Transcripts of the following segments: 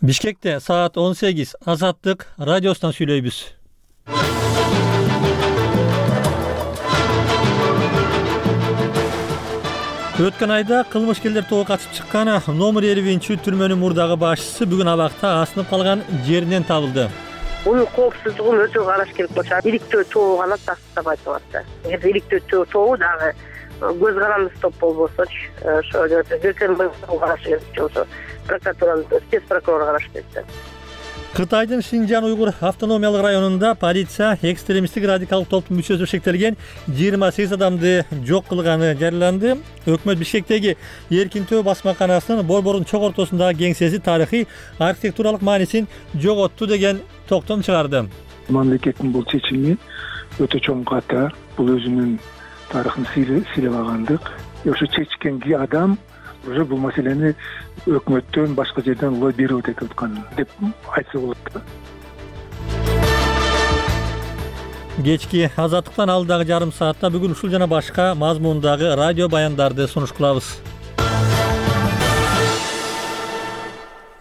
Бишкекте саат 18 Азаттык радиосунан сүйлөйбүз. Өткөн айда кылмышкерлер тобу катышып чыккан номер 50 түрмөнүн мурдагы башчысы бүгүн абакта асынып калган жеринен табылды. Бунун коопсуздугун өтө караш керек болчу. Иликтөө тобу гана тастабайт атты. Эгер иликтөө тобу дагы көз карандысыз топ болбосочу, ошо зеркенин караш керек болсо, прокуратуранын спец прокурору караш керек. Кытайдын Шинжан уйгур автономиялык районунда полиция экстремисттик радикалдык топтун мүчөсү шектелген 28 адамды жок кылганы жарыяланды. Өкмөт Бишкектеги Эркинтөө басмаканасынын борбордун чок ортосундагы кеңсеси тарыхый архитектуралык маанисин жоготту деген токтом чыгарды. Мамлекеттин бул чечими өтө чоң катар. Бул өзүнүн тарыхын сыйлагандык. Ошо чечкен адам уже бул маселени өкмөттөн башка жерден лоббировать этип аткан деп айтса болот. Кечки Азаттыктан алдагы жарым саатта бүгүн ушул жана башка мазмундагы радио баяндарды сунуш кылабыз.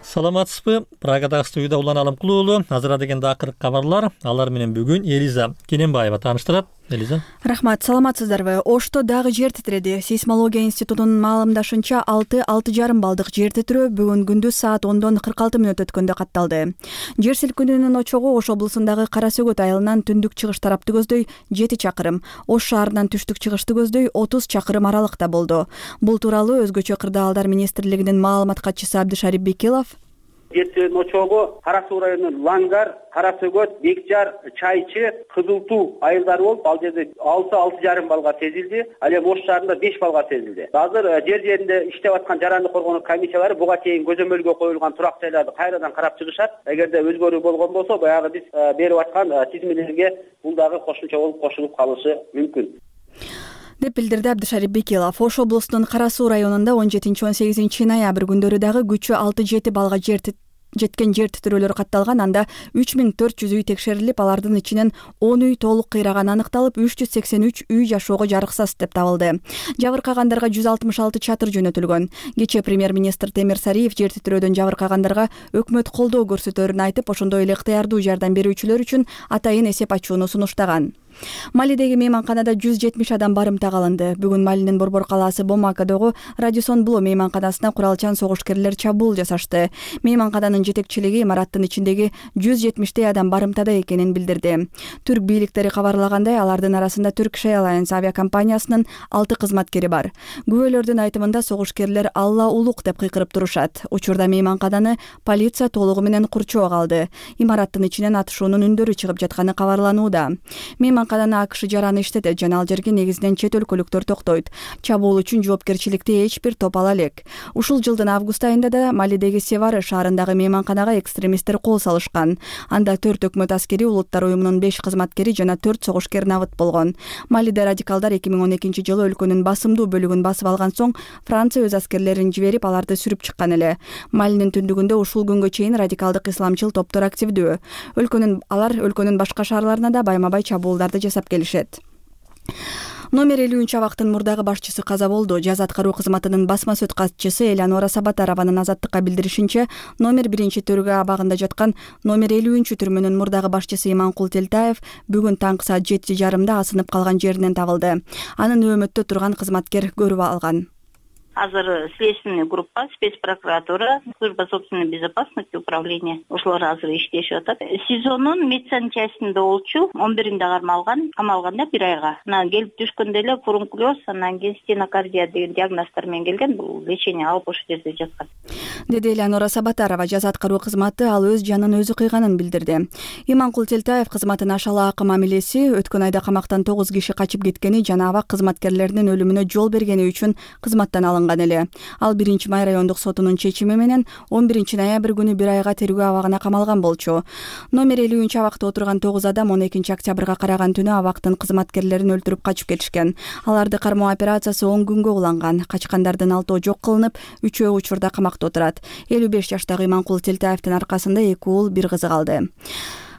Саламатсызбы? Прагадагы студияда Улан Алымкулуу уулу. Азыр дегенде акыркы кабарлар. Алар менен бүгүн Элиза Кененбаева тааныштырат. Элиза. Рахмат, саламатсыздарбы? Ошто дагы жер титиреди. Сейсмология институтунун маалымдашынча 6,5 балдык жер титирөө бүгүн күндүз саат 10:46 өткөндө катталды. Жер силкинүүнүн очогу Ош облусундагы Кара Сөгөт айылынан түндүк чыгыш тарапты көздөй 7 чакырым, Ош шаарынан түштүк чыгышты көздөй 30 чакырым аралыкта болду. Бул тууралуу Өзгөчө кырдаалдар министрлигинин маалымат катчысы Абдышарип Бекилов Жертөөнүн очогу Кара Суу районунун Лангар, Кара Сөгөт, Бекжар, Чайчы, Кызыл Туу айылдары болуп, ал жерде 6,5 балга сезилди. Ал эми Ош шаарында 5 балга сезилди. Азыр жер-жеринде иштеп аткан жарандык коргонуу комиссиялары буга чейин көзөмөлгө коюлган турак жайларды кайрадан карап чыгышат. Эгерде өзгөрүү болгон болсо, баягы биз берип аткан тизмелерге бул дагы кошумча болуп кошулуп калышы мүмкүн деп билдирди Абдышарип Бекилов. Ош облусунун Кара Суу районунда 17-18 ноябрь күндөрү дагы күчү 6-7 балга жеткен жер титирөөлөр катталган. Анда 3400 үй текшерилип, алардын ичинен 10 үй толук кыйраганы аныкталып, 383 үй жашоого жарыксыз деп табылды. Жабыркагандарга 166 чатыр жөнөтүлгөн. Кечээ премьер-министр Темир Сариев жер титирөөдөн жабыркагандарга өкмөт колдоо көрсөтөөрүн айтып, ошондой эле ыктыярдуу жардам берүүчүлөр үчүн атайын эсеп ачууну сунуштаган. Малидеги мейманканада 170 адам барымтага алынды. Бүгүн Малинин борбор калаасы Бомакадогу Радисон Бло мейманканасына куралчан согушкерлер чабуул жасашты. Мейманкананын жетекчилиги имараттын ичиндеги 170 адам барымтада экенин билдирди. Түрк бийликтери кабарлагандай, алардын арасында Turkish Airlines авиакомпаниясынын 6 кызматкери бар. Күбөлөрдүн айтымында согушкерлер Алла улук деп кыйкырып турушат. Учурда мейманкананы полиция толугу менен курчоого алды. Имараттын ичинен атышуунун үндөрү чыгып жатканы кабарланууда. Мейманкананы АКШ жараны иштетет жана ал жерге негизинен чет өлкөлүктөр токтойт. Чабуул үчүн жоопкерчиликти эч бир топ ала элек. Ушул жылдын август айында да Малидеги Севары шаарындагы мейманканага экстремисттер кол салышкан. Анда 4 өкмөт аскери, улуттар уюмунун 5 кызматкери жана 4 согушкер набыт болгон. Малиде радикалдар 2012 жылы өлкөнүн басымдуу бөлүгүн басып алган соң Франция өз аскерлерин жиберип, аларды сүрүп чыккан эле. Малинин түндүгүндө ушул күнгө чейин радикалдык исламчыл топтор активдүү. Алар өлкөнүн башка шаарларына да байма-бай чабуулдарды жасап келишет. Номер 50 абактын мурдагы башчысы каза болду. Жаз аткаруу кызматынын басма сөт катчысы Элеонора Сабатарованын Азаттыкка билдиришинче, номер 1-төргө абагында жаткан номер 50 түрмөнүн мурдагы башчысы Иманкул Телтаев бүгүн таңкы саат 7:30 асынып калган жеринен табылды. Анын өмөттө турган кызматкер көрүп алган. Азыр следственный группа, спецпрокуратура, служба собственной безопасности, управления ошолор азыр иштешип атат. СИЗОнун медсанчастинде болчу, 11-инде камалганда 1 айга. Келип түшкөндө эле фурункулез, анан кийин стенокардия деген диагноздор менен келген. Бул лечение алып ошол жерде жаткан. Деди Элеонора Сабатарова. Жаз аткаруу кызматы ал өз жанын өзү кыйганын билдирди. Иманкул Телтаев кызматын ашалаакы мамилеси, өткөн айда камактан 9 киши качып кеткени жана абак кызматкерлеринин өлүмүнө жол бергени үчүн кызматтан алынган эле. Ал 1 май райондук сотунун чечими менен 11 ноябрь күнү 1 айга тергөө абагына камалган болчу. Номер 50 абакта отурган 9 адам 12 октябрга караган түнү абактын кызматкерлерин өлтүрүп качып кетишкен. Аларды кармоо операциясы 10 күнгө уланган. Качкандардын 6 жок кылынып, 3 учурда камакта отурат. 55 жаштагы Иманкул Телтаевдин аркасында 2 уул, 1 кызы калды.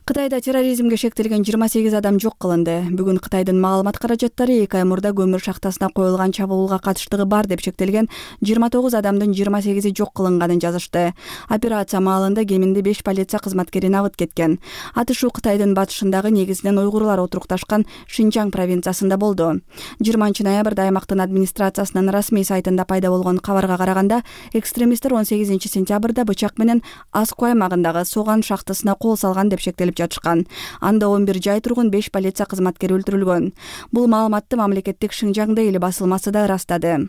Кытайда терроризмге шектелген 28 адам жок кылынды. Бүгүн Кытайдын маалымат каражаттары 2 ай мурда көмүр шахтасына коюлган чабуулга катыштыгы бар деп шектелген 29 адамдын 28-и жок кылынганын жазышты. Операция маалында кеминде 5 полиция кызматкерин абыт кеткен. Атышуу Кытайдын батышындагы негизинен уйгурлар отурукташкан Шинжаң провинциясында болду. 20-ноябрда аймактын администрациясынын расмий сайтында пайда болгон кабарга караганда, экстремисттер 18-сентябрда бычак менен Аску аймагындагы Соган шахтасына кол салган деп шектелип жатышкан. Анда 11 жай тургун 5 полиция кызматкери өлтүрүлгөн. Бул маалыматты мамлекеттик Шинжаң Дейли басылмасы да ырастады.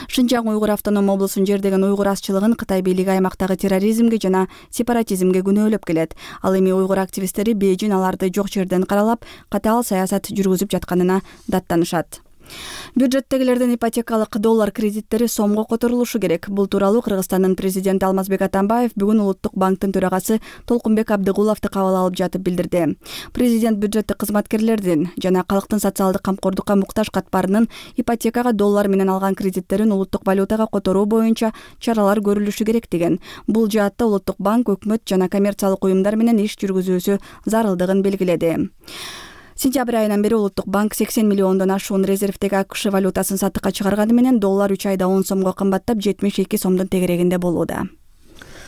Шинжаң уйгур автоном облусун жердеген уйгур азчылыгын Кытай бийлиги аймактагы терроризмге жана сепаратизмге күнөөлөп келет. Ал эми уйгур активисттери Бейжин аларды жок жерден каралап, катаал саясат жүргүзүп жатканына даттанышат. Бюджеттегилердин ипотекалык доллар кредиттери сомго которулушу керек. Бул тууралуу Кыргызстандын президенти Алмазбек Атамбаев бүгүн Улуттук банктын төрагасы Толкунбек Абдыгуловду кабыл алып жатып билдирди. Президент бюджеттик кызматкерлердин жана калктын социалдык камкордукка муктаж катмарынын ипотекага доллар менен алган кредиттерин улуттук валютага которуу боюнча чаралар көрүлүшү керек деген. Бул жаатта Улуттук банк өкмөт жана коммерциялык уюмдар менен иш жүргүзүүсү зарылдыгын белгиледи. Сентябрь айынан бери Улуттук банк 80 миллиондон ашуун резервдеги АКШ валютасын сатыкка чыгарганы менен доллар 3 айда 10 сомго кымбаттап 72 сомдун тегерегинде болууда.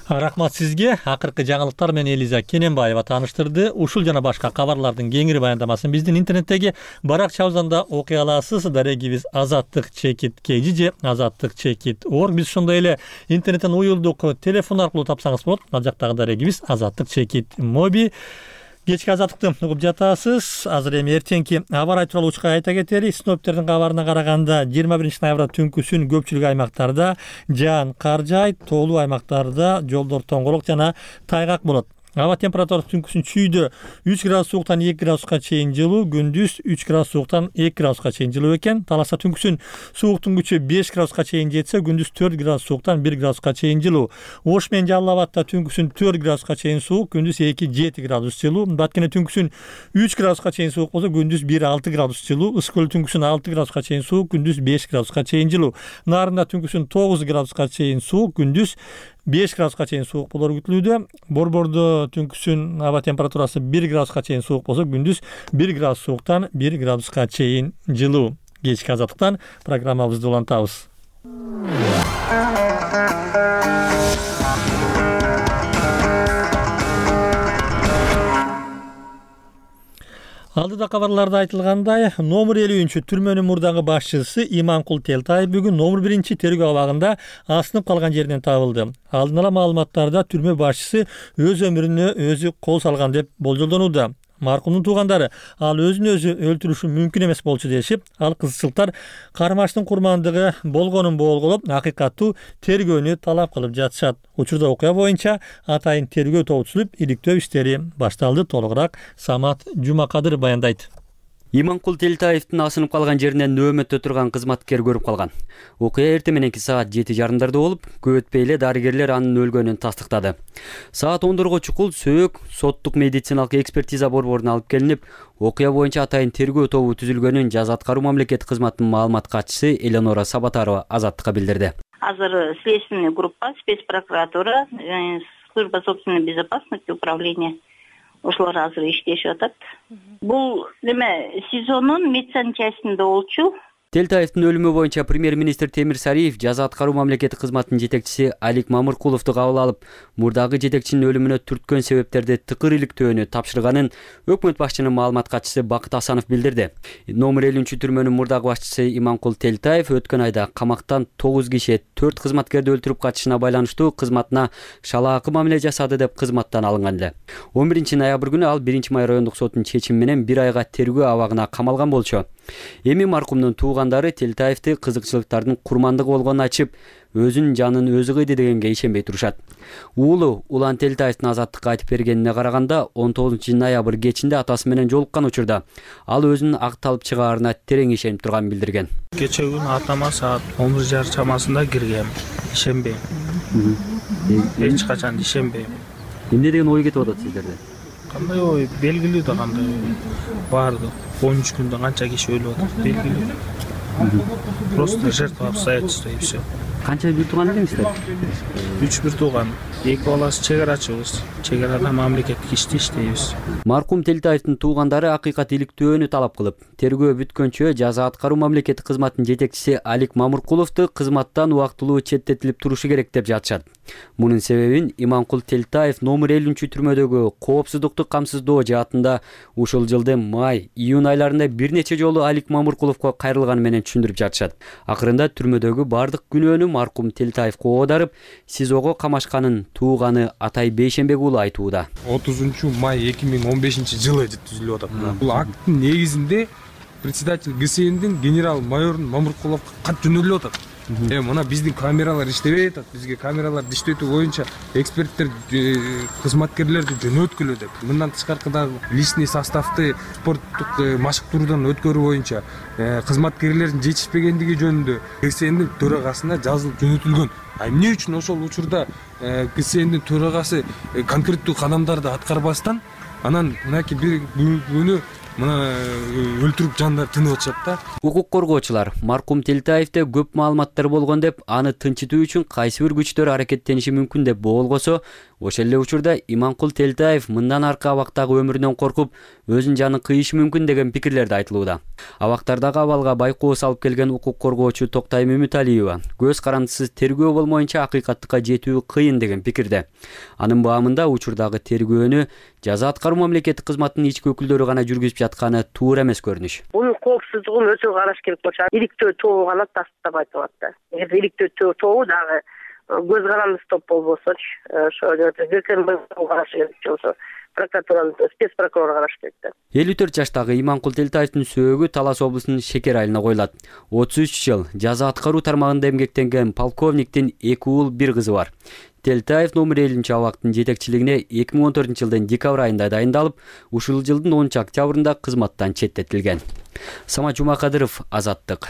Рахмат сизге. Акыркы жаңылыктар менен Элиза Кененбаева тааныштырды. Ушул жана башка кабарлардын кеңири баяндамасын биздин интернеттеги баракчабыздан окуй аласыз. Дарегибиз azattik.kg же azattik.org. Биз ошондой эле интернеттен уюлдук телефон аркылуу тапсаңыз болот. Ал жактагы дарегибиз azattik.mobi. Кечки азаттыкты угуп жатасыз. Азыр эми эртеңки аба ырайы тууралуу учка айта кетели. Синоптиктердин кабарына караганда 21-ноябрда түнкүсүн көпчүлүк аймактарда жаан кар жаайт, тоолуу аймактарда жолдор тоңголок жана тайгак болот. Аба температурасы түнкүсүн чүйдө 3 градус сууктан 2 градуска чейин жылуу, күндүз 3 градус сууктан 2 градуска чейин жылуу экен. Таласа түнкүсүн сууктун күчү 5 градуска чейин жетсе, күндүз 4 градус сууктан 1 градуска чейин жылуу. Ош менен Жалал Абадта түнкүсүн 4 градуска чейин суук, күндүз 2-7 градус жылуу. Баткене түнкүсүн 3 градуска чейин суук болсо, күндүз 1-6 градус жылуу. Ысык көл түнкүсүн 6 градуска чейин суук, күндүз 5 градуска чейин жылуу. Нарында түнкүсүн 9 градуска чейин суук, күндүз 5 градуска чейин суук болору күтүлүүдө. Борбордо түнкүсүн аба температурасы 1 градуска чейин суук болсо, күндүз 1 градус сууктан 1 градуска чейин жылуу. Кечки азаттыктан программабызды улантабыз. Алдыда кабарларда айтылгандай, номер 50 түрмөнүн мурдагы башчысы Иманкул Телтаев бүгүн номер 1 тергөө абагында асынып калган жеринен табылды. Алдын ала маалыматтарда түрмө башчысы өз өмүрүнө өзү кол салган деп болжолдонууда. Маркумдун туугандары ал өзүн өзү өлтүрүшү мүмкүн эмес болчу дешип, ал кызчылыктар кармаштын курмандыгы болгонун болголоп, акыйкаттуу тергөөнү талап кылып жатышат. Учурда окуя боюнча атайын тергөө тобу түзүлүп, иликтөө иштери башталды. Толугураак Самат Жумакадыр баяндайт. Иманкул Телтаевдин асынып калган жеринен нөөмөттө турган кызматкер көрүп калган. Окуя эртең мененки саат 7:30 болуп, көп өтпөй эле дарыгерлер анын өлгөнүн тастыктады. Саат 10 чукул сөөк соттук медициналык экспертиза борборуна алып келинип, окуя боюнча атайын тергөө тобу түзүлгөнүн Жаза аткаруу мамлекеттик кызматынын маалымат катчысы Эленора Сабатарова Азаттыкка билдирди. Азыр следственный группа, спецпрокуратура, служба собственной безопасности, управление ошолор азыр иштешип атат. Бул неме СИЗОнун медсанчастинде болчу. Телтаевдин өлүмү боюнча премьер-министр Темир Сариев Жаза аткаруу мамлекеттик кызматынын жетекчиси Алик Мамыркуловду кабыл алып, мурдагы жетекчинин өлүмүнө түрткөн себептерди тыкыр иликтөөнү тапшырганын өкмөт башчынын маалымат катчысы Бакыт Асанов билдирди. Номер 50 түрмөнүн мурдагы башчысы Иманкул Телтаев өткөн айда камактан 9 киши 4 кызматкерди өлтүрүп качышына байланыштуу кызматына шалаакы мамиле жасады деп кызматтан алынган эле. 11 ноябрь күнү ал 1 май райондук соттун чечими менен 1 айга тергөө абагына камалган болчу. Эми маркумдун туугандары Телтаевди кызыкчылыктардын курмандыгы болгонун айтып, өзүнүн жанын өзү кыйды дегенге ишенбей турушат. Уулу Улан Телтаевдин Азаттыкка айтып бергенине караганда, 19 ноябрь кечинде атасы менен жолуккан учурда ал өзүнүн акталып чыгаарына терең ишенип турганын билдирген. Кече күнү атама саат 11:30 чамасында киргем. Ишенбейм. Эч качан ишенбейм. Эмне деген ой кетип атат сиздерде? Кандай ой? Белгилүү да кандай ой. Барды 13 күндө канча киши өлүп атат, белгилүү. Просто жертва обстоятельства и все. Канча бир тууган элеңиздер? 3 бир тууган. эки баласы чек арачыбыз. Чек арада мамлекеттик иште иштейбиз. Маркум Телтаевдин туугандары акыйкат иликтөөнү талап кылып, тергөө бүткөнчө жаза аткаруу мамлекеттик кызматтын жетекчиси Алик Мамыркуловду кызматтан убактылуу четтетилип турушу керек деп жатышат. Мунун себебин Иманкул Телтаев номер 50-түрмөдөгү коопсуздукту камсыздоо жаатында ушул жылдын май-июнь айларында бир нече жолу Алик Мамыркуловго кайрылганы менен түшүндүрүп жатышат. Акырында түрмөдөгү бардык күнөөнү Маркум Телтаевго оодарып, СИЗОго камашканын тууганы Атай Бейшенбек уулу айтууда. 30 май 2015 жылы түзүлүп атат. Бул акттын негизинде председатель ГСНдин генерал-майор Мамыркуловго кат жөнөлүп атат. Мына биздин камералар иштебей атат. Бизге камераларды иштетүү боюнча эксперттер, кызматкерлерди жөнөткүлө деп. Мындан тышкаркы дагы личный составды спорттук машыктыруудан өткөрүү боюнча кызматкерлердин жетишпегендиги жөнүндө ГСНдин төрагасына жазылып жөнөтүлгөн. Эмне үчүн ошол учурда ГСНдин төрагасы конкреттүү кадамдарды аткарбастан анан мынакей бир күнү мына өлтүрүп жандар тынып атышат да. Укук коргоочулар Маркум Телтаевде көп маалыматтар болгон деп, аны тынчытуу үчүн кайсы бир күчтөр аракеттениши мүмкүн деп боолгосо, ошол эле учурда Иманкул Телтаев мындан аркы абактагы өмүрүнөн коркуп, өзүнүн жанын кыйышы мүмкүн деген пикирлерди айтылууда. Абактардагы абалга байкоо салып келген укук коргоочу Токтайм Үмүталиева көз карандысыз тергөө болмоюнча акыйкаттыкка жетүү кыйын деген пикирде. Анын баамында учурдагы тергөөнү жаза аткаруу мамлекеттик кызматтын ички өкүлдөрү гана жүргүзүп жатканы туура эмес көрүнүш. Бунун коопсуздугун өзү караш керек болчу. Иликтөө тобу гана тастап айтылат да. Эгер иликтөө тобу дагы көз карандысыз топ болбосочу, ошо караш керек болсо, прокуратуранын спец прокурору караш керек да. 54 жаштагы Иманкул Телтаевдин сөөгү Талас облусунун Шекер айылына коюлат. 33 жыл жаза аткаруу тармагында эмгектенген полковниктин 2 уул 1 кызы бар. Телтаев номер 50 абактын жетекчилигине 2014 жылдын декабрь айында дайындалып, ушул жылдын 10 октябрында кызматтан четтетилген. Самат Жумакадыров, Азаттык.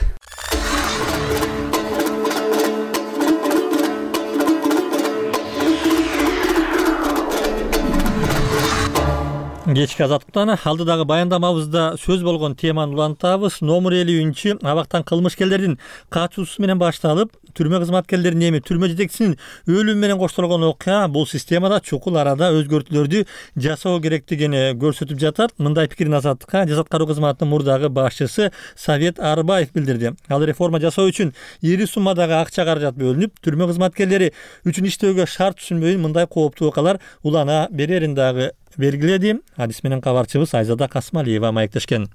Кечки Азаттыктан алдыдагы баяндамабызда сөз болгон теманы улантабыз. Номер 50 абактан кылмышкерлердин качуусу менен башталып, түрмө кызматкерлеринин эми түрмө жетекчисинин өлүмү менен коштолгон окуя бул системада чукул арада өзгөртүүлөрдү жасоо керектигин көрсөтүп жатат. Мындай пикирин Азаттыкка жаза аткаруу кызматынын мурдагы башчысы Совет Арбаев билдирди. Ал реформа жасоо үчүн ири суммадагы акча каражат бөлүнүп, түрмө кызматкерлери үчүн иштөөгө шарт түшүнбөй мындай кооптуу окуялар улана берерин дагы белгиледи. Адис менен кабарчыбыз Айзада Касмалиева маектешкен.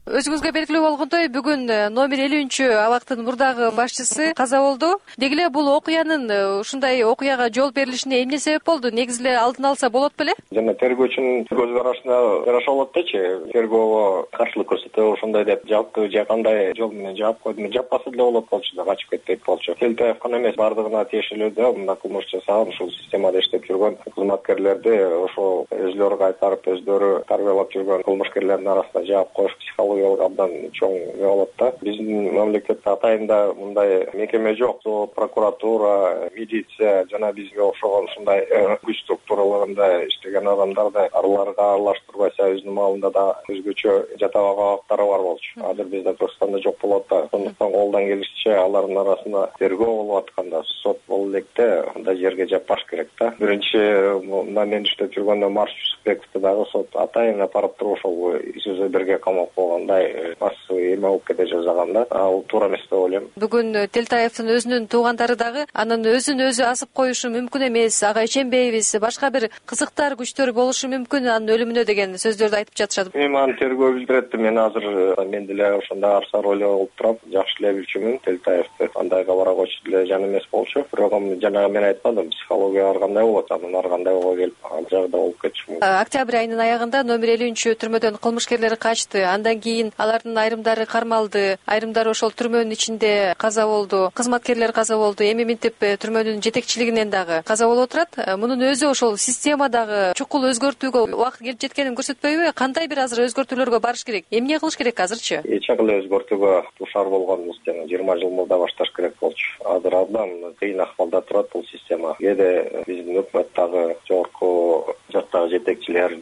Өзүңүзгө белгилүү болгондой, бүгүн номер 50 абактын мурдагы башчысы каза болду. Деги эле бул окуянын ушундай окуяга жол берилишине эмне себеп болду? Негизи эле алдын алса болот беле? Жана тергөөчүнүн көз карашына жараша болот дечи. Тергөөгө каршылык көрсөтө ошондой деп жапты, же кандай жол менен жаап койду. Жаппаса деле болот болчу да, качып кетпейт болчу. Телтаев гана эмес, бардыгына тиешелүү да мына кылмыш жасаган, ушул системада иштеп жүргөн кызматкерлерди ошо өзлөрү кайтарып, өздөрү тарбиялап жүргөн кылмышкерлердин арасына жаап коюш психология абдан чоң болот да. Биздин мамлекетте атайында мындай мекеме жок. Прокуратура, милиция жана бизге окшогон ушундай күч структураларында иштеген адамдарды аларга аралаштырбайса өзүнүн маалында да өзгөчө жатабаган абактары бар болчу. Азыр бизде Түркстанда жок болот да. Сондуктан колдон келишинче алардын арасында тергөө болуп атканда сот болуп электе андай жерге жаппаш керек да. Биринчи мен иштеп жүргөндө Марш Жүсүпбековду дагы сот атайын апарып туруп ошол ИСУЗ-1 камап койгон. Массовый эме болуп кете жазганда, ал туура эмес деп ойлойм. Бүгүн Телтаевдин өзүнүн туугандары дагы анын өзүн өзү асып коюшу мүмкүн эмес, ага ишенбейбиз, башка бир кызыктар күчтөр болушу мүмкүн анын өлүмүнө деген сөздөрдү айтып жатышат. Мен аны тергөө билдирет. Мен азыр мен деле ошондой арса роль болуп туруп, жакшы эле билчүмүн Телтаевди. Андайга бара койчу деле жан эмес болчу. Бирок жанагы мен айтпадым, психология ар кандай болот, анын ар кандай боло келип, ал жагда болуп кетчү. Октябрь айынын аягында номер 50 түрмөдөн кылмышкерлер качты. Андан кийин алардын айрымдары кармалды, айрымдары ошол түрмөнүн ичинде каза болду, кызматкерлер каза болду. Эми минтип түрмөнүн жетекчилигинен дагы каза болуп отурат. Мунун өзү ошол системадагы чукул өзгөртүүгө убакыт келип жеткенин көрсөтпөйбү? Кандай бир азыр өзгөртүүлөргө барыш керек? Эмне кылыш керек азырчы? Эч кандай өзгөртүүгө дуушар болгонбуз жана 20 жыл мурда башташ керек болчу. Азыр абдан кыйын акыбалда турат бул система. Кээде биздин өкмөт дагы жогорку жактагы жетекчилер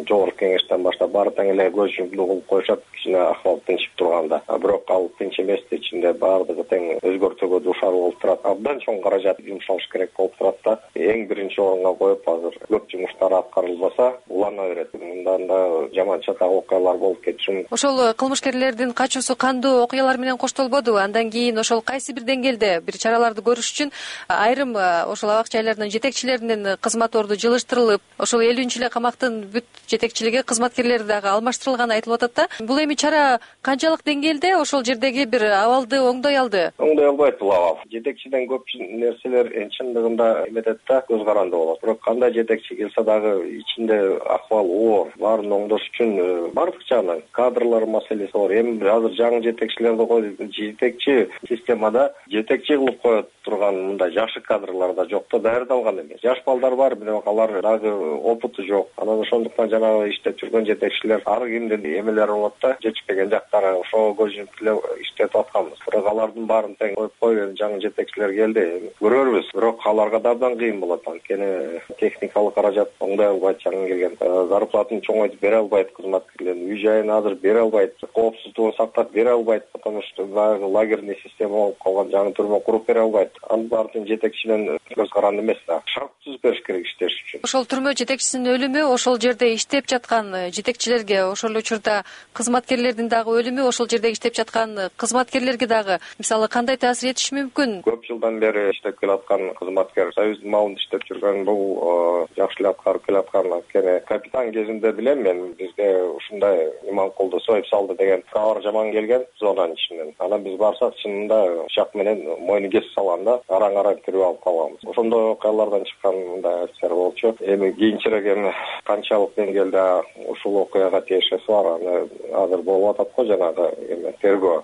жогорку кеңештен баштап баары тең эле көз жумду кылып коюшат кичине акыбал тынчып турганда. Бирок ал тынч эмес, ичинде баардыгы тең өзгөртүүгө дуушар болуп турат. Абдан чоң каражат жумшалыш керек болуп турат да. Эң биринчи орунга коюп азыр көп жумуштар аткарылбаса улана берет. Мындан да жаман чатак окуялар болуп кетиши мүмкүн. Ошол кылмышкерлердин качуусу кандуу окуялар менен коштолбодубу? Андан кийин ошол кайсы бир деңгээлде бир чараларды көрүш үчүн айрым ошол абак жайлардын жетекчилеринин кызмат орду жылыштырылып, ошол 50 эле камактын бүт жетекчилиги, кызматкерлери дагы алмаштырылганы айтылып атат да. Бул эми чара канчалык деңгээлде ошол жердеги бир абалды оңдой алды? Оңдой албайт бул абал. Жетекчиден көп нерселер чындыгында эметет да, көз каранды болот. Бирок кандай жетекчи келсе дагы ичинде акыбал оор. Баарын оңдош үчүн бардык жагынан кадрлар маселеси бар. Эми азыр жаңы жетекчилерди коюп, жетекчи системада жетекчи кылып коет турган мындай жашы кадрлар да жок да, даярдалган эмес. Жаш балдар бар, бирок алар дагы опыту жок. Анан ошондуктан жанагы иштеп жүргөн жетекчилер ар кимдин эмелери болот да, жетишпеген жактары ошого көз жумуп эле иштетип атканбыз. Бирок алардын баарын тең коюп койгон жаңы жетекчилер келди. Көрөрбүз, бирок аларга да абдан кыйын болот. Анткени техникалык каражат оңдой албайт, жаңы келген зарплатын чоңойтуп бере албайт кызматкерлердин, үй жайын азыр бере албайт, коопсуздугун сактап бере албайт, потому что дагы лагерный система болуп калган, жаңы түрмө куруп бере албайт. Анын баарын жетекчиден көз каранды эмес да, шарт түзүп бериш керек иштеш үчүн. Ошол түрмө жетекчисинин өлүмү ошол жерде иштеп жаткан жетекчилерге, ошол учурда кызматкерлердин дагы өлүмү ошол жерде иштеп жаткан кызматкерлерге дагы мисалы кандай таасир этиши мүмкүн? Көп жылдан бери иштеп келаткан кызматкер, союздун малында иштеп жүргөн, бул жакшы эле аткарып келаткан. Анткени капитан кезинде билем мен, бизде ушундай Иманкулду союп салды деген кабар жаман келген зонанын ичинен. Анан биз барсак чынында пычак менен мойну кесип салганда араң кирип алып калганбыз. Ошондой окуялардан чыккан мындай офицер болчу. Эми кийинчерээк эми канчалык деңгээлде ушул окуяга тиешеси бар, аны азыр болуп атат го, жанагы эми тергөө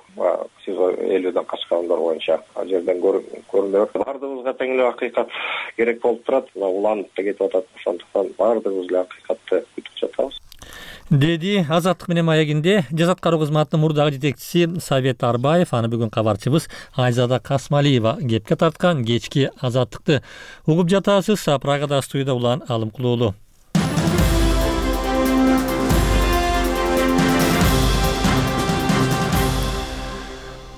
СИЗО 50ден качкандар боюнча ал жерден көрүнөт. Бардыгыбызга тең эле акыйкат керек болуп турат, уланып да кетип атат. Ошондуктан бардыгыбыз эле акыйкатты күтүп жатабыз, деди Азаттык менен маегинде жаза аткаруу кызматынын мурдагы жетекчиси Совет Арбаев. Аны бүгүн кабарчыбыз Айзада Касмалиева кепке тарткан. Кечки Азаттыкты угуп жатасыз. Прагада студияда Улан Алымкулуулу.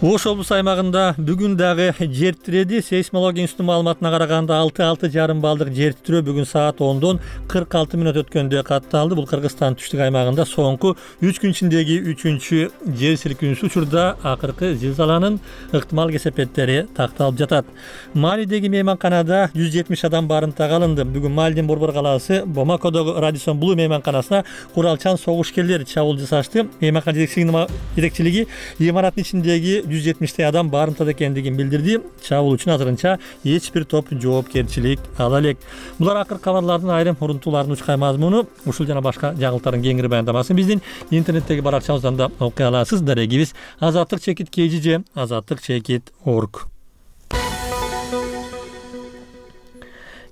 Ош облус аймагында бүгүн дагы жер тиреди. Сейсмология институтунун маалыматына караганда 6,5 балдык жер тирөө бүгүн саат 10дон 46 мүнөт өткөндө катталды. Бул Кыргызстан түштүк аймагында соңку 3 күн ичиндеги 3-чү жер силкинүүсү. Учурда акыркы зилзаланын ыктымал кесепеттери такталып жатат. Малидеги мейманканада 170 адам барымтага алынды. Бүгүн Малидин Борбор калаасы Бомакодогу Радисон Блу мейманканасына куралчан согушкерлер чабуул жасашты. Мейманкана жетекчилиги имараттын ичиндеги 170 адам барымтада экендигин билдирди. Чабуул үчүн азырынча эч бир топ жоопкерчилик ала элек. Булар акыркы кабарлардын айрым урунтууларынын учкай мазмуну. Ушул жана башка жаңылыктардын кеңири баяндамасын биздин интернеттеги баракчабыздан да окуй аласыз. Дарегибиз azatlyk-kgj azatlyk-org.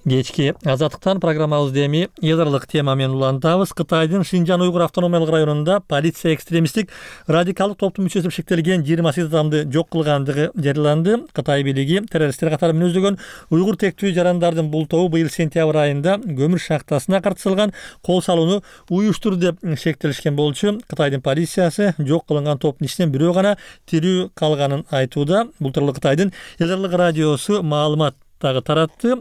Кечки Азаттыктан программабызды эми ядролук тема менен улантабыз. Кытайдын Шинжан Уйгур автономиялык районунда полиция экстремисттик радикалдык топтун мүчөсү деп шектелген 28 адамды жок кылгандыгы жарыяланды. Кытай бийлиги террористтер катары мүнөздөгөн уйгур тектүү жарандардын бул тобу быйыл сентябрь айында көмүр шахтасына картсылган кол салууну уюштурду деп шектелишкен болчу. Кытайдын полициясы жок кылынган топтун ичинен бирөө гана тирүү калганын айтууда. Бул тууралуу Кытайдын ядролук радиосу маалымат дагы таратты.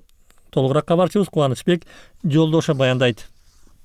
Толугураак кабарчыбыз Кубанычбек Жолдошов баяндайт.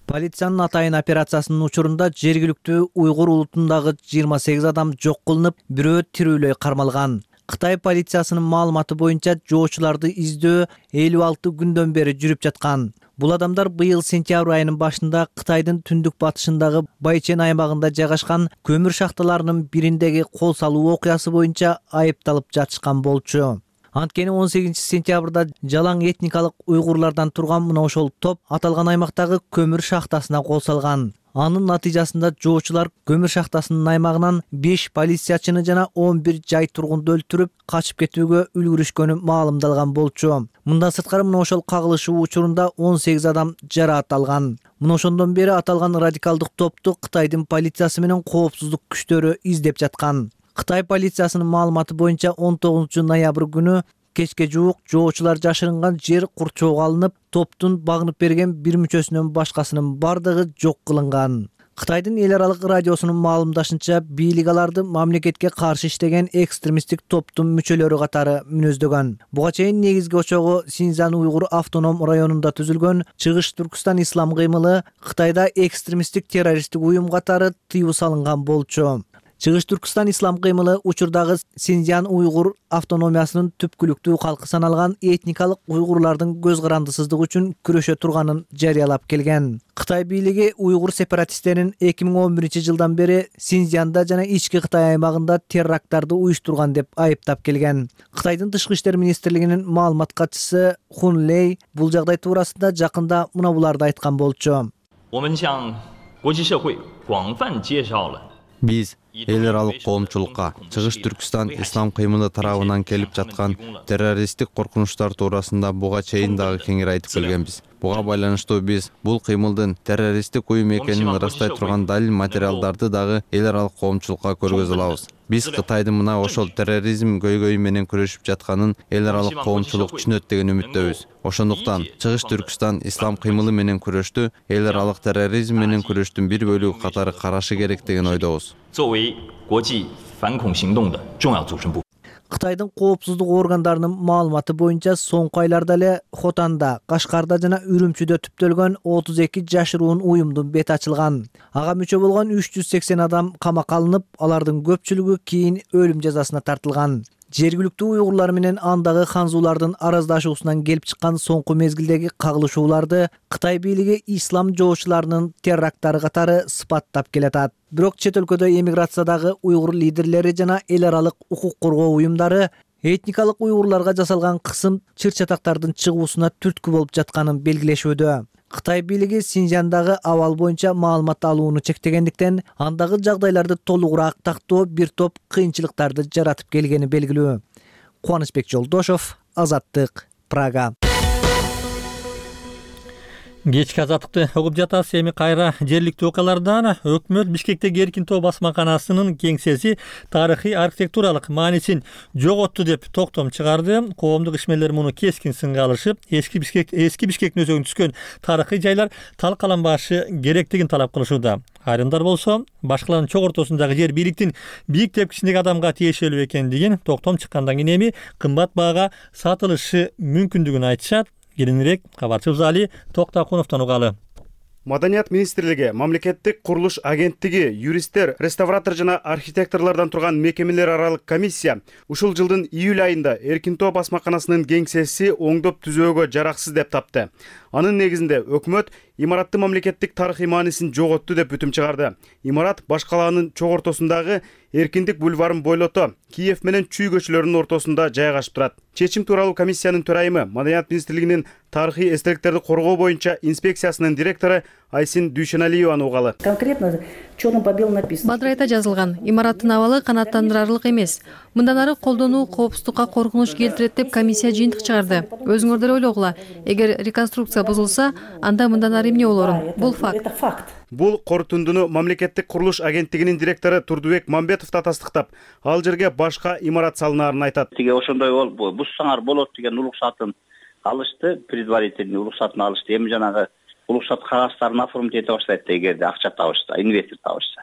Полициянын атайын операциясынын учурунда жергиликтүү уйгур улутундагы 28 адам жок кылынып, бирөө тирүүлөй кармалган. Кытай полициясынын маалыматы боюнча жоочуларды издөө 56 күндөн бери жүрүп жаткан. Бул адамдар быйыл сентябрь айынын башында Кытайдын түндүк батышындагы Байчен аймагында жайгашкан көмүр шахталарынын бириндеги кол салуу окуясы боюнча айыпталып жатышкан болчу. Анткени 18 сентябрда жалаң этникалык уйгурлардан турган мына ошол топ аталган аймактагы көмүр шахтасына кол салган. Анын натыйжасында жоочулар көмүр шахтасынын аймагынан 5 полициячыны жана 11 жай тургунду өлтүрүп, качып кетүүгө үлгүрүшкөнү маалымдалган болчу. Мындан сырткары мына ошол кагылышуу учурунда 18 адам жараат алган. Мына ошондон бери аталган радикалдык топту Кытайдын полициясы менен коопсуздук күчтөрү издеп жаткан. Кытай полициясынын маалыматы боюнча 19 ноябрь күнү кечке жуук жоочулар жашырынган жер курчоого алынып, топтун багынып берген бир мүчөсүнөн башкасынын бардыгы жок кылынган. Кытайдын эл аралык радиосунун маалымдашынча, бийлик аларды мамлекетке каршы иштеген экстремисттик топтун мүчөлөрү катары мүнөздөгөн. Буга чейин негизги очогу Синьцзян уйгур автоном районунда түзүлгөн Чыгыш Түркүстан ислам кыймылы Кытайда экстремисттик террористтик уюм катары тыюу салынган болчу. Чыгыш Түркүстан ислам кыймылы учурдагы Синьцзян уйгур автономиясынын түпкүлүктүү калкы саналган этникалык уйгурлардын көз карандысыздыгы үчүн күрөшө турганын жарыялап келген. Кытай бийлиги уйгур сепаратисттерин 2011-жылдан бери Синьцзянда жана ички Кытай аймагында теракттарды уюштурган деп айыптап келген. Кытайдын тышкы иштер министрлигинин маалымат катчысы Хун Лей бул жагдай туурасында жакында мына буларды айткан болчу. Биз эл аралык коомчулукка Чыгыш Түркүстан ислам кыймылы тарабынан келип жаткан террористтик коркунучтар туурасында буга чейин дагы кеңири айтып келгенбиз. Буга байланыштуу биз бул кыймылдын террористтик уюм экенин ырастай турган далил материалдарды дагы эл аралык коомчулукка көргөзө алабыз. Биз Кытайдын мына ошол терроризм көйгөйү менен күрөшүп жатканын эл аралык коомчулук түшүнөт деген үмүттөбүз. Ошондуктан Чыгыш Түркүстан ислам кыймылы менен күрөштү эл аралык терроризм менен күрөштүн бир бөлүгү катары карашы керек деген ойдобуз. Кытайдын коопсуздук органдарынын маалыматы боюнча соңку айларда эле Хотанда, Кашкарда жана Үрүмчүдө түптөлгөн 32 жашыруун уюмдун бети ачылган. Ага мүчө болгон 380 адам камакка алынып, алардын көпчүлүгү кийин өлүм жазасына тартылган. Жергиликтүү уйгурлар менен андагы ханзуулардын араздашуусунан келип чыккан соңку мезгилдеги кагылышууларды Кытай бийлиги ислам жоочуларынын теракттары катары сыпаттап келатат. Бирок чет өлкөдө эмиграциядагы уйгур лидерлери жана эл аралык укук коргоо уюмдары этникалык уйгурларга жасалган кысым чыр-чатактардын чыгуусуна түрткү болуп жатканын белгилешүүдө. Кытай бийлиги Синьцзяндагы абал боюнча маалымат алууну чектегендиктен, андагы жагдайларды толугураак тактоо бир топ кыйынчылыктарды жаратып келгени белгилүү. Кубанычбек Жолдошов, Азаттык, Прага. Кечки азаттыкты угуп жатасыз. Эми кайра жергиликтүү окуялардан өкмөт Бишкектеги Эркин тоо басмаканасынын кеңсеси тарыхый архитектуралык маанисин жоготту деп токтом чыгарды. Коомдук ишмерлер муну кескин сынга алышып, эски Бишкектин өзөгүнө түскөн тарыхый жайлар талкаланбашы керектигин талап кылышууда. Айрымдар болсо, башкалардын чок ортосундагы жер бийликтин бийик тепкичиндеги адамга тиешелүү экендигин, токтом чыккандан кийин эми кымбат баага сатылышы мүмкүндүгүн айтышат. Кийинирээк кабарчыбыз Али Токтакуновдон угалы. Маданият министрлиги, мамлекеттик курулуш агенттиги, юристтер, реставратор жана архитекторлордон турган мекемелер аралык комиссия ушул жылдын июль айында Эркин тоо басмаканасынын кеңсеси оңдоп түзөөгө жараксыз деп тапты. Анын негизинде өкмөт имараттын мамлекеттик тарыхый маанисин жоготту деп бүтүм чыгарды. Имарат баш калаанын чок ортосундагы Эркиндик бульварын бойлото, Киев менен Чүй көчөлөрүнүн ортосунда жайгашып турат. Чечим тууралуу комиссиянын төрайымы, Маданият министрлигинин тарыхый эстеликтерди коргоо боюнча инспекциясынын директору Айсин Дүйшеналиеваны угалы. Конкретно чёрным по белому написано. Бадрайта жазылган, имараттын абалы канааттандырарлык эмес. Мындан ары колдонуу коопсуздукка коркунуч келтирет деп комиссия жыйынтык чыгарды. Өзүңөрдөр ойлогула, эгер реконструкция бузулса, анда мындан ары эмне болорун? Бул факт. Бул корутундуну мамлекеттик курулуш агенттигинин директору Турдубек Мамбетов да тастыктап, ал жерге башка имарат салынаарын айтат. Тиге ошондой болуп, бузсаңар болот деген уруксатын алышты, предварительный уруксатын алышты. Эми жанагы уруксат кагаздарын оформить эте баштайт эгерде акча табышса, инвестор табышса.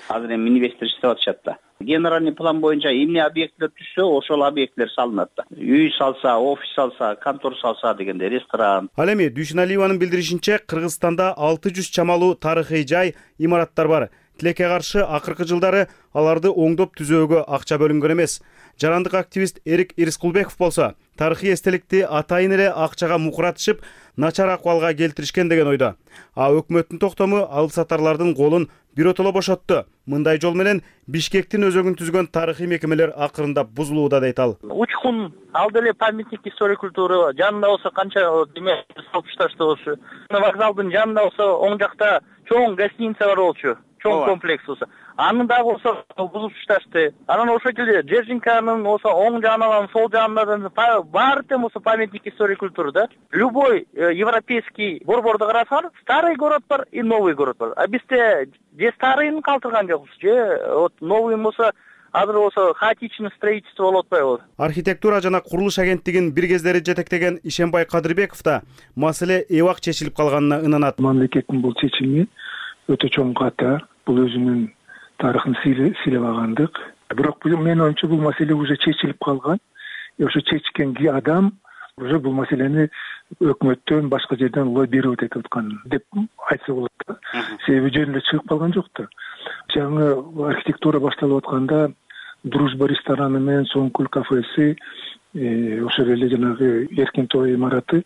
Азыр эми инвестор иштеп атышат да. Генеральный план боюнча эмне объекттер түшсө, ошол объекттер салынат да. Үй салса, офис салса, контор салса дегенде, ресторан. Ал эми Дүйшеналиеванын билдиришинче, Кыргызстанда 600 чамалуу тарыхый жай, имараттар бар. Тилекке каршы акыркы жылдары аларды оңдоп түзөөгө акча бөлүнгөн эмес. Жарандык активист Эрик Ирскулбеков болсо, тарыхый эстеликти атайын эле акчага мукуратышып, начар акыбалга келтиришкен деген ойдо. А өкмөттүн токтому алып сатарлардын колун биротоло бошотту. Мындай жол менен Бишкектин өзөгүн түзгөн тарыхый мекемелер акырында бузулууда дейт ал. Учкун ал деле памятник история культуры жанында болсо канча деме салып ташташты болчу. Вокзалдын жанында болсо оң жакта чоң гостиница бар болчу. Чоң комплекс болсо. Анын дагы болсо бузуп ташташты. Анан ошол жерде Джержинканын болсо оң жагынан, сол жагынан баары тең болсо памятник история культуры да. Любой европейский борборду карасаңар, старый город бар и новый город бар. А бизде же старыйын калтырган жокпуз, же вот новый болсо азыр болсо хаотичный строительство болуп атпайбы? Архитектура жана курулуш агенттигинин бир кездери жетектеген Ишенбай Кадырбеков да маселе эбак чечилип калганына ынанат. Мамлекеттин бул чечими өтө чоң ката, бул өзүнүн тарыхын сыйлабагандык. Бирок менин оюмча бул маселе уже чечилип калган. Ошо чечкен адам уже бул маселени өкмөттөн башка жерден лоббировать этип аткан деп айтса болот да. Себеби жөнүндө чыгып калган жок да. Жаңы архитектура башталып атканда Дружба рестораны менен Соңкөл кафеси, ошол эле жанагы Эркин Тоо имараты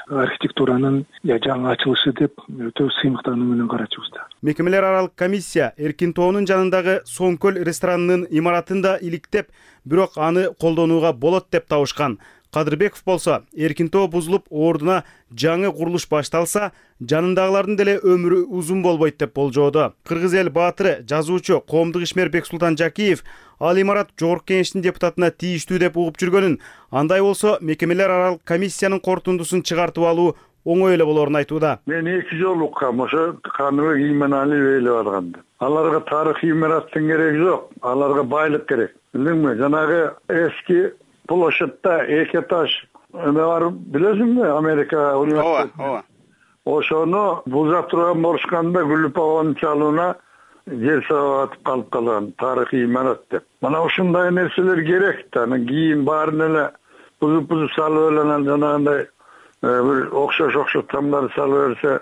архитектуранын жаңы ачылышы деп өтө сыймыктануу менен карачубуз да. Мекемелер аралык комиссия Эркин Тоонун жанындагы Соңкөл ресторанынын имаратын да иликтеп, бирок аны колдонууга болот деп табышкан. Кадырбеков болсо, Эркин Тоо бузулуп, ордуна жаңы курулуш башталса, жанындагылардын деле өмүрү узун болбойт деп болжоодо. Кыргыз эл баатыры, жазуучу, коомдук ишмер Бексултан Жакиев ал имарат Жогорку Кеңештин депутатына тийиштүү деп угуп жүргөнүн, андай болсо мекемелер аралык комиссиянын корутундусун чыгартып алуу оңой эле болорун айтууда. Мен 2 жолу уккам, ошо Каныбек Ийманалиев ээлеп алганды. Аларга тарыхый имараттын кереги жок, аларга байлык керек. Билдиңби? Жанагы эски площадьта 2 этаж бар, билесиңби? Америка университети. Ошону бузап турган болушканда Гүлүп апанын чалууна жер сабатып калып калган тарыхый имарат деп. Мына ушундай нерселер керек да. Кийин баарын эле бузуп салып эле жанагындай бир окшош тамдар салып берсе,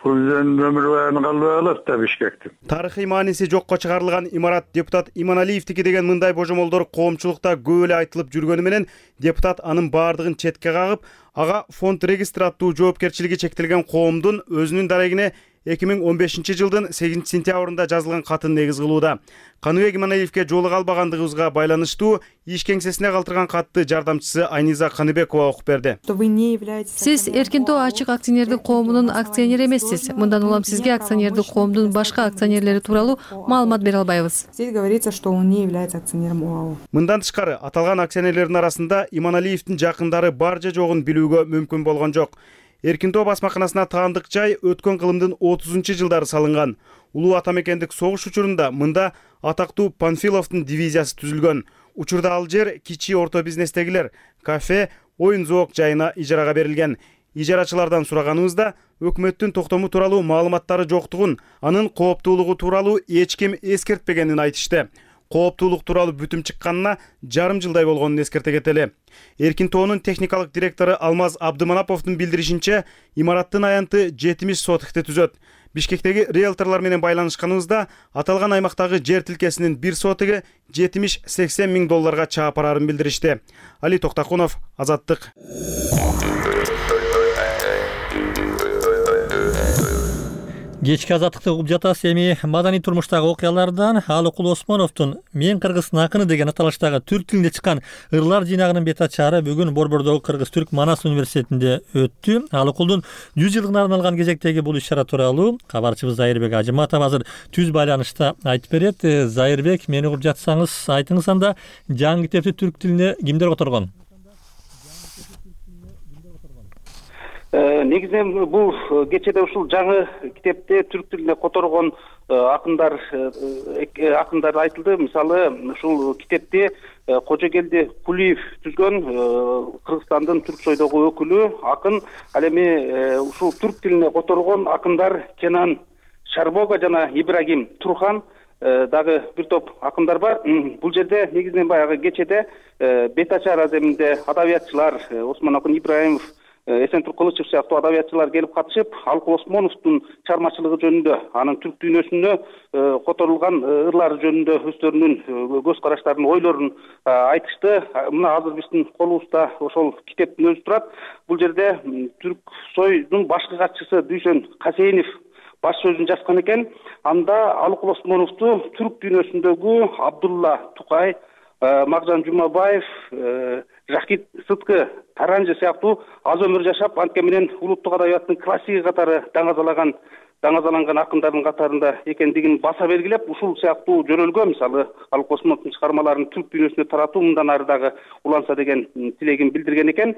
Президенттин өмүр баяны калбай калат да Бишкектин. Тарыхый мааниси жокко чыгарылган имарат депутат Иманалиевдики деген мындай божомолдор коомчулукта көп эле айтылып жүргөнү менен депутат анын баардыгын четке кагып, ага фонд регистр аттуу жоопкерчилиги чектелген коомдун өзүнүн дарегине 2015 жылдын 8 сентябрында жазылган катын негиз кылууда. Каныбек Иманалиевке жолуга албагандыгыбызга байланыштуу иш кеңсесине калтырган катты жардамчысы Айниза Каныбекова окуп берди. Сиз Эркин Тоо ачык акционердик коомунун акционери эмессиз. Мындан улам сизге акционердик коомдун башка акционерлери тууралуу маалымат бере албайбыз. Здесь говорится, что он не является акционером ОАО. Мындан тышкары аталган акционерлердин арасында Иманалиевдин жакындары бар же жогун билүүгө мүмкүн болгон жок. Эркин Тоо басмаканасына таандык жай өткөн кылымдын 30-жылдары салынган. Улуу атамекендик согуш учурунда мында атактуу Панфиловдун дивизиясы түзүлгөн. Учурда ал жер кичи орто бизнестегилер, кафе, оюн-зоок жайына ижарага берилген. Ижарачылардан сураганыбызда өкмөттүн токтому тууралуу маалыматтары жоктугун, анын кооптуулугу тууралуу эч ким эскертпегенин айтышты. Кооптуулук тууралуу бүтүм чыкканына жарым жылдай болгонун эскерте кетели. Эркин Тоонун техникалык директору Алмаз Абдыманаповдун билдиришинче, имараттын аянты 70 сотыкты түзөт. Бишкектеги риэлторлор менен байланышканыбызда аталган аймактагы жер тилкесинин 1 сотыгы 70-80 миң долларга чаап барарын билдиришти. Али Токтакунов, Азаттык. Кечки азаттыкты угуп жатасыз. Эми маданий турмуштагы окуялардан Алыкул Осмоновдун "Мен Кыргыздын акыны" деген аталыштагы түрк тилинде чыккан ырлар жыйнагынын бет ачары бүгүн Борбордогу Кыргыз-Түрк Манас университетинде өттү. Алыкулдун 100 жылдыгына арналган кезектеги бул иш-чара тууралуу кабарчыбыз Зайырбек Ажыматов азыр түз байланышта айтып берет. Зайырбек, мени угуп жатсаңыз айтыңыз, анда жаңы китепти түрк тилине кимдер которгон? Негизинен бул кечеде ушул жаңы китепте түрк тилине которгон акындар айтылды. Мисалы, ушул китепти Кожогелди Кулиев түзгөн, Кыргызстандын түрк сойдогу өкүлү акын. Ал эми ушул түрк тилине которгон акындар Кенан Шарбога жана Ибрагим Турхан дагы бир топ акындар бар. Бул жерде негизинен баягы кечеде бет ачар аземинде адабиятчылар Осмон Ибраимов, Эсентур Кылычев сыяктуу адабиятчылар келип катышып, Алыкул Осмоновдун чыгармачылыгы жөнүндө, анын түрк дүйнөсүндө которулган ырлары жөнүндө өздөрүнүн көз караштарын, ойлорун айтышты. Мына азыр биздин колубузда ошол китептин өзү турат. Бул жерде түрк сойдун башкы катчысы Дүйшөн Касейинов баш сөзүн жазган экен. Анда Алыкул Осмоновду түрк дүйнөсүндөгү Абдулла Тукай, Макжан Жумабаев, Жакит Сыткы Таранжы сыяктуу аз өмүр жашап, анткени менен улуттук адабияттын классиги катары даңазаланган акындардын катарында экендигин баса белгилеп, ушул сыяктуу жөнөлгө, мисалы, Алыкул Осмоновдун чыгармаларын түрк дүйнөсүнө таратуу мындан ары дагы уланса деген тилегин билдирген экен.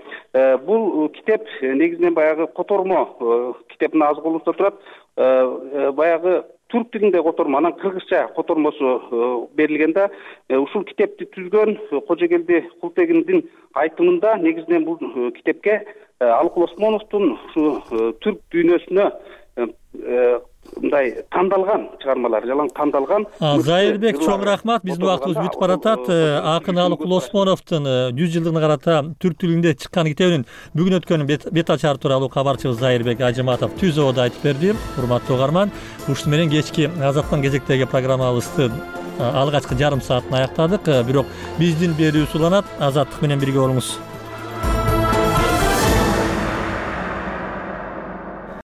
Бул китеп негизинен баягы котормо китептин аз колубузда турат. Баягы түрк тилинде котормо, анан кыргызча котормосу берилген да. Ушул китепти түзгөн Кожогелди Култегиндин айтымында негизинен бул китепке Алыкул Осмоновдун ушу түрк дүйнөсүнө мындай тандалган чыгармалар, жалаң тандалган. Зайырбек, чоң рахмат. Биздин убактыбыз бүтүп баратат. Акын Алыкул Осмоновдун 100 жылдыгына карата түрк тилинде чыккан китебинин бүгүн өткөн бет ачары тууралуу кабарчыбыз Зайырбек Ажыматов түз ободо айтып берди. Урматтуу угарман, ушуну менен кечки Азаттын кезектеги программабызды алгачкы жарым саатын аяктадык. Бирок биздин берүүбүз уланат. Азаттык менен бирге болуңуз.